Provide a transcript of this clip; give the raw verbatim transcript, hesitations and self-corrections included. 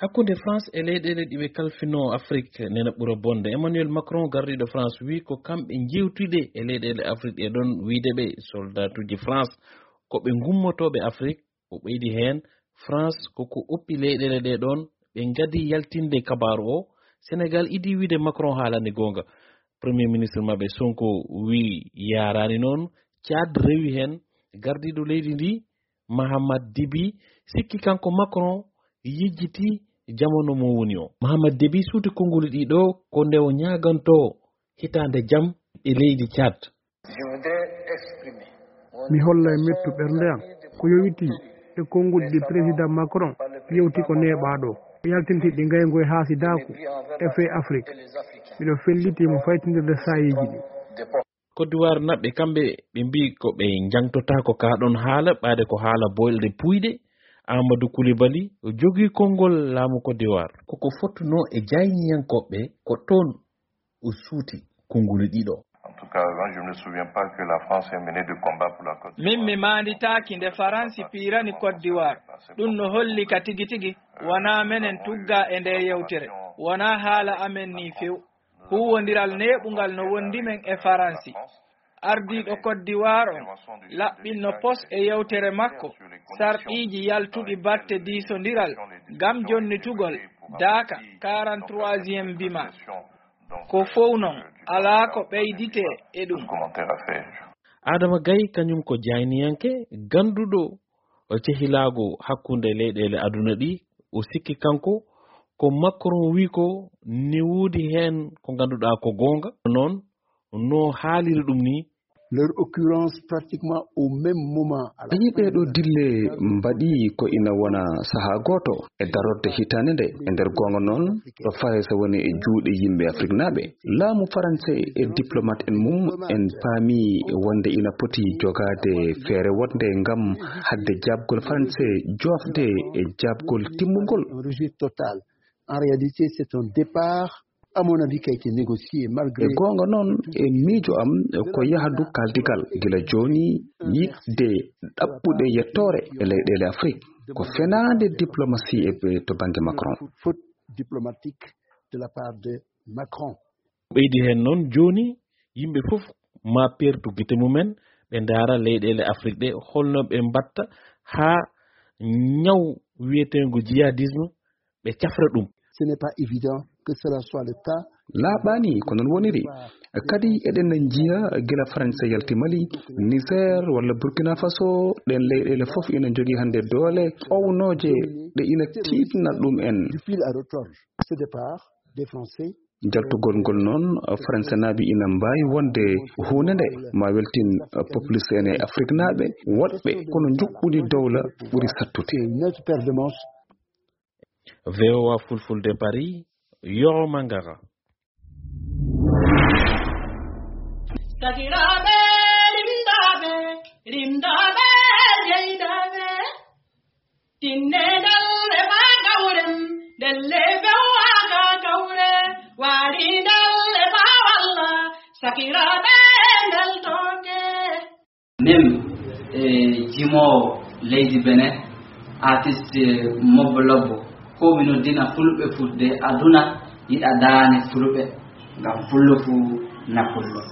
Hakkunde France e leyɗeele ɗi ɓe kalfinoo Afrik nena ɓura bonde. Emmanuel Macron, gardiiɗo France, wii ko kamɓe njeewtude e leyɗeele Afrik ɗe ɗon, wiide ɓe soldaatuuji France ko ɓe ngummotooɓe Afrik. O ɓeydi heen, France ko ko oppi leyɗeele ɗe ɗon, ɓe ngadi yaltinde kabaaru o. Senegal idii wiide Macron haalani goonga. Premier ministre maɓɓe Sonko wii yaaraani noon. Tchad rewi heen, gardiiɗo leydi ndi Mahamat Dibi sikki kanko Macron yejjiti jamano mo woni o. Mahamat Dibi suuti konnguli ɗiɗo ko nde o ñaagantoo hitaande jam e leydi Tchad. Mi holla e mettu ɓernde am ko yowitii e konnguli ɗi Président Macron yewti ko neeɓaaɗo, yaltinti ɗi ngaygu e haasidaaku e fee Afrik. Miɗo felliti mo faytindirde saayiiji ɗi. Côte d'Ivoire naɓɓe kamɓe ɓe mbii ko ɓe njangtotaako kaa ɗoon haala, ɓaade ko haala boyɗe puuyɗe. Amadou Coulibaly o jogii konngol laamu Côte d'Ivoire. Koko fottunoo e jayniyankooɓe ko toon o suuti konnguli ɗiɗo. En tout cas, moi, je ne me souviens pas que la France ait mené de combat pour la Côte Min mi maanditaaki nde Faransi piirani Côte d'Ivoire. Ɗum no holli ka tigi tigi wonaa menen tugga e ndee yewtere. Wonaa haala amen nii few. Huuwondiral neeɓungal no wondi men e Faransi. Ardiiɗo Côte d'Ivoire on laɓɓinno pos e yewtere makko sarɗiiji yaltuɗi batte diisondiral ngam jonnitugol daaka quarante-troisième bima. Ko fow non, alaa ko ɓeyditee e ɗum. Adama Gaye kañum ko jayniyanke gannduɗo cehilaagu hakkunde leyɗeele aduna ɗi. O sikki kanko ko Macron wii ko ne woodi heen ko ngannduɗaa ko goonga. Noon no haaliri ɗum nii. Leur occurrence pratiquement au même moment. Ayi, ɗee ɗoo dille mbaɗi ko ina wona sahaa gooto e darorde hitaande nde. E nder goonga noon, ɗo Farayse woni e juuɗe yimɓe Afriknaaɓe. Laamu Faranse e diplomat en mum en paami wonde ina poti jogaade feere woɗnde ngam haɗde jaabgol Faranse joofde e jaabgol timmungol. En réussite totale. En réalité, c'est un départ, à mon avis, qui a été négocié malgré. E goonga noon, e miijo am, ko yahdu kaaldigal gila jooni yiɗde ɗaɓɓude yettoore e leyɗeele Afrik. Ko fenaande diplomatie e to bannge Macron. Faute diplomatique de la part de Macron. Ɓeydi heen noon, jooni yimɓe fof maa peertu gite mumen, ɓe ndaara leyɗeele Afrik ɗe, holno ɓe mbaɗta haa ñaw wiyeteengo jihadisme ɓe cafra ɗum. Ce n'est pas évident que cela soit le cas. Laaɓaani ko noon woniri. Kadi eɗen njiya gila Faransa yalti Mali, Niger walla Burkina Faso, ɗeen leyɗeele fof ina njogii hannde doole ownooje ɗe ina tiiɗna ɗum en. Du fil à retordre. Ce départ des Français. Jaltugol ngol noon, Faransanaaɓe ina mbaawi wonde huunde nde ma weltin populiste en e Afriknaaɓe woɗɓe, kono njuɓɓudi dowla ɓuri sattude. C'est une autre paire de manches. V O A Fulfulde Paris, Yoro Mangara. Sakiraaɓe rimdaaɓe, rimdaaɓe jeydaaɓe, tinne dalle faa kawren, ndelle fewaaka kawre, waari dalle faa walla, sakiraaɓe ndel tooke. Min e jimoowo leydi Benin, artiste Mobbo Lobbo, ko mi noddina fulɓe fudde aduna yiɗa daane fulɓe, ngam fullo fu na fullo.